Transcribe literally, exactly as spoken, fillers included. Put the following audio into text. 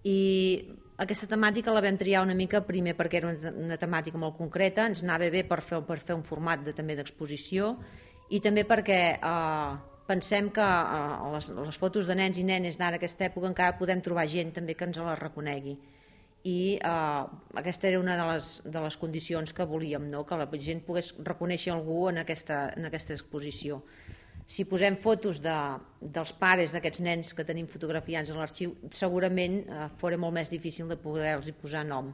I aquesta temàtica la vam triar una mica primer perquè era una, una temàtica molt concreta, ens anava bé per fer, per fer un format de, també d'exposició, i també perquè eh, pensem que eh, les, les fotos de nens i nenes d'ara aquesta època encara podem trobar gent també que ens les reconegui, i eh, aquesta era una de les, de les condicions que volíem, no? Que la gent pogués reconèixer algú en aquesta, en aquesta exposició. Si posem fotos de, dels pares d'aquests nens que tenim fotografiats a l'arxiu, segurament eh, fora molt més difícil de poder-los posar nom.